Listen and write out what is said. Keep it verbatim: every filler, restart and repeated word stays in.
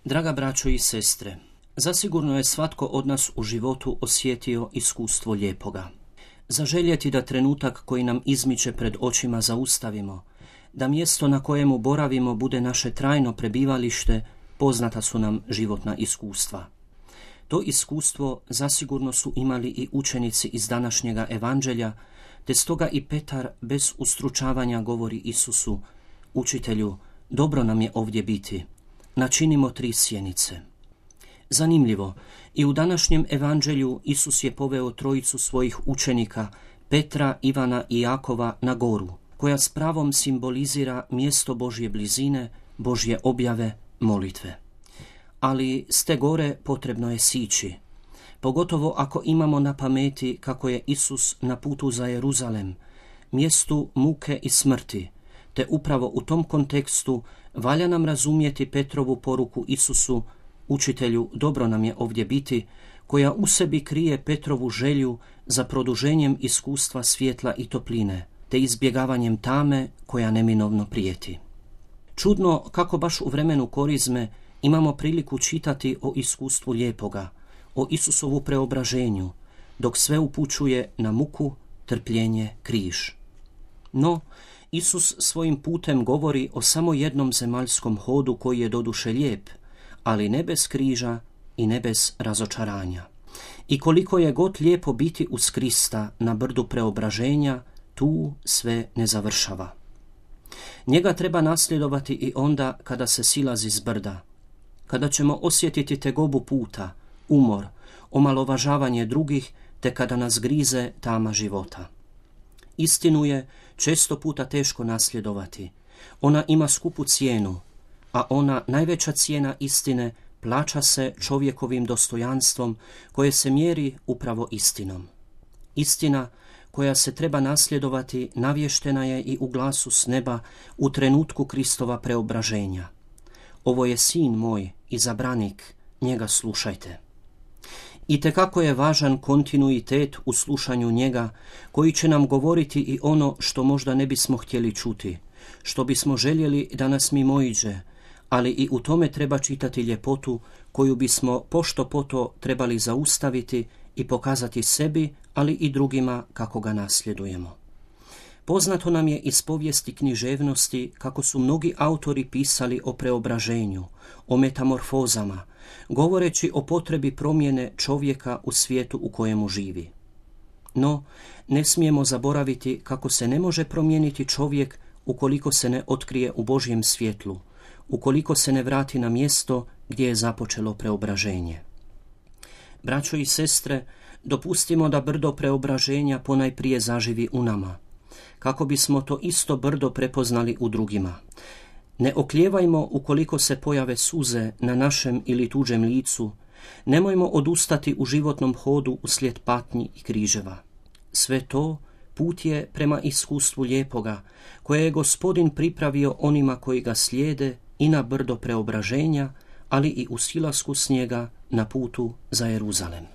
Draga braćo i sestre, zasigurno je svatko od nas u životu osjetio iskustvo lijepoga. Zaželjeti da trenutak koji nam izmiče pred očima zaustavimo, da mjesto na kojemu boravimo bude naše trajno prebivalište, poznata su nam životna iskustva. To iskustvo zasigurno su imali i učenici iz današnjega evanđelja, te stoga i Petar bez ustručavanja govori Isusu: Učitelju, dobro nam je ovdje biti, načinimo tri sjenice. Zanimljivo, i u današnjem evanđelju Isus je poveo trojicu svojih učenika, Petra, Ivana i Jakova, na goru, koja s pravom simbolizira mjesto Božje blizine, Božje objave, molitve. Ali s te gore potrebno je sići, pogotovo ako imamo na pameti kako je Isus na putu za Jeruzalem, mjestu muke i smrti, te upravo u tom kontekstu valja nam razumjeti Petrovu poruku Isusu: Učitelju, dobro nam je ovdje biti, koja u sebi krije Petrovu želju za produženjem iskustva svjetla i topline, te izbjegavanjem tame koja neminovno prijeti. Čudno kako baš u vremenu korizme imamo priliku čitati o iskustvu lijepoga, o Isusovu preobraženju, dok sve upućuje na muku, trpljenje, križ. No, Isus svojim putem govori o samo jednom zemaljskom hodu koji je doduše lijep, ali ne bez križa i ne bez razočaranja. I koliko je god lijepo biti uz Krista na brdu preobraženja, tu sve ne završava. Njega treba nasljedovati i onda kada se silazi s brda, kada ćemo osjetiti tegobu puta, umor, omalovažavanje drugih, te kada nas grize tama života. Istinu je često puta teško nasljedovati. Ona ima skupu cijenu, a ona, najveća cijena istine, plaća se čovjekovim dostojanstvom koje se mjeri upravo istinom. Istina koja se treba nasljedovati navještena je i u glasu s neba u trenutku Kristova preobraženja. Ovo je sin moj, izabranik, njega slušajte. Itekako je važan kontinuitet u slušanju njega, koji će nam govoriti i ono što možda ne bismo htjeli čuti, što bismo željeli da nas mimoiđe, ali i u tome treba čitati ljepotu koju bismo pošto poto trebali zaustaviti i pokazati sebi, ali i drugima kako ga nasljedujemo. Poznato nam je iz povijesti književnosti kako su mnogi autori pisali o preobraženju, o metamorfozama, govoreći o potrebi promjene čovjeka u svijetu u kojemu živi. No, ne smijemo zaboraviti kako se ne može promijeniti čovjek ukoliko se ne otkrije u Božjem svjetlu, ukoliko se ne vrati na mjesto gdje je započelo preobraženje. Braćo i sestre, dopustimo da brdo preobraženja ponajprije zaživi u nama, kako bismo to isto brdo prepoznali u drugima. Ne oklijevajmo ukoliko se pojave suze na našem ili tuđem licu, nemojmo odustati u životnom hodu uslijed patnji i križeva. Sve to put je prema iskustvu lijepoga, koje je Gospodin pripravio onima koji ga slijede i na brdo preobraženja, ali i u silasku s njega na putu za Jeruzalem.